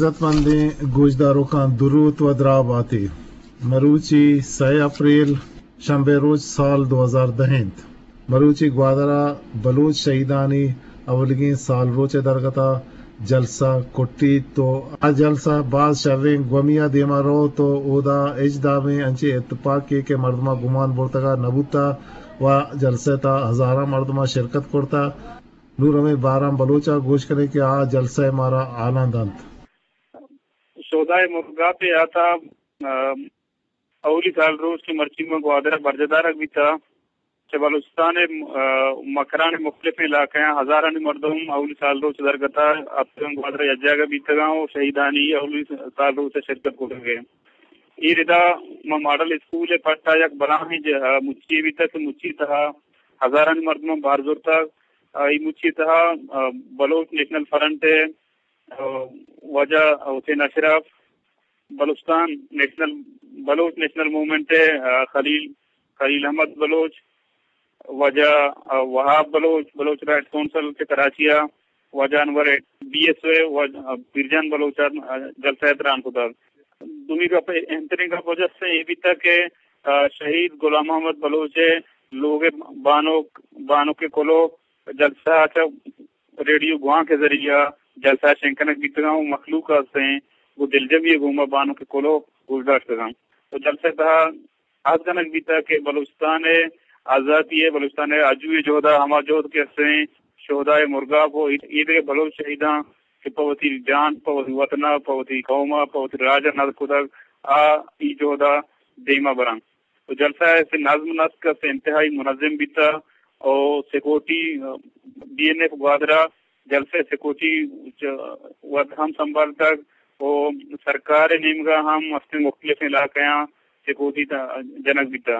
عزت مندیں گوشداروکاں دروت و دراہ باتے۔ مروچی سئے اپریل، شنبے روچ، سال دو ہزار دہ انت۔ مروچی گوادر ءَ بلوچ شہیدانی اولیگیں سال روچ ءِ درگت ءَ جلسہ کٹیت و آ جلسہ باز شریں گومی ءَ دیما روت و اودا ہچ دابیں انچیں اتپاکے کہ مردماں گمان برتگ ءَ نہ بوتہ و جلسہ ءِ تہا ہزاراں مردماں شرکت کرتہ۔ نوں ہمے باران بلوچ ءَ گوش کنیں کہ آ جلسہ ءَ مارا حالاں دنت۔ شہدائے مرگاپ ءِ تہا، آ، اولی سال روچ کہ مرچی ما گوادر ءَ برجاہ دارگ بیتہ، چہ بلوچستان ءِ، آ، مکران ءِ مختلف علاقہاں ہزارانی مردم اولی سال روچ درگت ءَ اتکگ، گوادر ءَ یک جاگہ بیتگاں و شہیدانی اولی سال روچ ءَ شرکت کتگ۔ اے ردا ما ماڈل اسکول ءِ پٹ ءَ یک بلاہیں ج-، آ، مچی بیتگ کہ مچی تہا ہزارانی مردماں بہر زرتگ۔ آ، اے مچی تہا، آ، بلوچ نیشنل فرنٹ ءِ، آ، واجہ حسین اشرف، بلوچستان نیشنل، بلوچ نیشنل موومنٹ ءِ، آ، خلیل، خلیل احمد بلوچ، واجہ، آ، وہاب بلوچ، بلوچ رائٹس کونسل کہ کراچی ءَ، واجہ انور بی ایس او ءِ، واجہ، آ، پیرجان بلوچ ءَ، آ، جلسہ ءَ تران کتگ۔ دومی گپ، اہمترین گپ وجہ سے اے بیتگ کہ، آ، شہید غلام محمد بلوچ ءِ لوگ ءِ بانک، بانک ءِ کلوہ جلسہ ءَ چہ ریڈیو گوانک ءِ ذریعہ جلسہ ءَ شنگ کنگ بیتگاں و مخلوق ءَ استیں گوں دلجمی ءِ گوما بانک ءِ کلوہ گوش داشتگاں۔ و جلسہ ءِ تہا عہد کنگ بیتگ کہ بلوچستان ءِ آزاتی ءِ، بلوچستان ءِ آجو ءِ جہد ءَ ہما جہد کہ استیں شہدائے مرگاپ و اے دگہ بلوچ شہیداں کہ پہ وتی جان، پہ وتی وطن ءَ، پہ وتی قوم ءَ، پہ وتی راج ءَ ندر کتگ، آ اے جہد ءَ دیما براں۔ و جلسہ ءِ نظم نسق است انتہائی منظم بیتہ و سیکورٹی، بی این ایف گوادر ءَ جلسہ ءِ سیکورٹی چ-، وت ہم سنبھالتگ و سرکار ءِ نیمگ ءَ ہم استیں مختلف علاقہاں سیکورٹی ت-، جنگ بیتہ۔